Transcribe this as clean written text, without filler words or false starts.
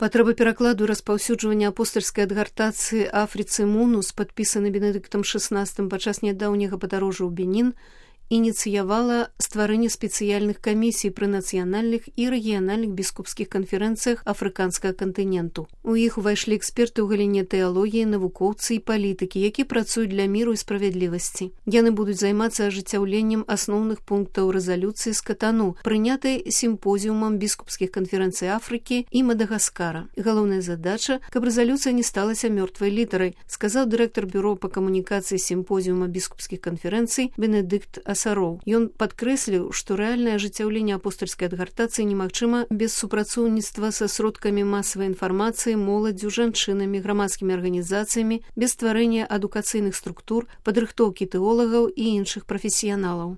Патрэба перакладу і распаўсюджвання апостальскай адгартацыі Афрыцы Мунус, падпісаны Бенедыктам XVI падчас нядаўняга падарожжа ў Бенін, ініцыявала стварэнне спецыяльных камісій пры нацыянальных і рэгіянальных біскупскіх канферэнцыях афрыканскага кантыненту. У іх увайшлі эксперты ў галіне тэалогіі, навукоўцы і палітыкі, які працуюць для міру і справядлівасці. Яны будуць займацца ажыццяўленнем асноўных пунктаў рэзалюцыі з Катану, прынятай сімпозіумам біскупскіх канферэнцый Афрыкі і Мадагаскара. Галоўная задача, каб рэзалюцыя не сталася мёртвай літарай, сказаў дырэктар бюро па камунікацыі сімпозіума біскупскіх канферэнцый Бенедыкт Асароў. Ён падкрэсліў, што рэальнае ажыццяўленне апостальскай адгартацыі немагчыма без супрацоўніцтва са сродкамі масавай інфармацыі, моладдзю, жанчынамі, грамадскімі арганізацыямі, без стварэння адукацыйных структур, падрыхтоўкі тэолагаў і іншых прафесіяналаў.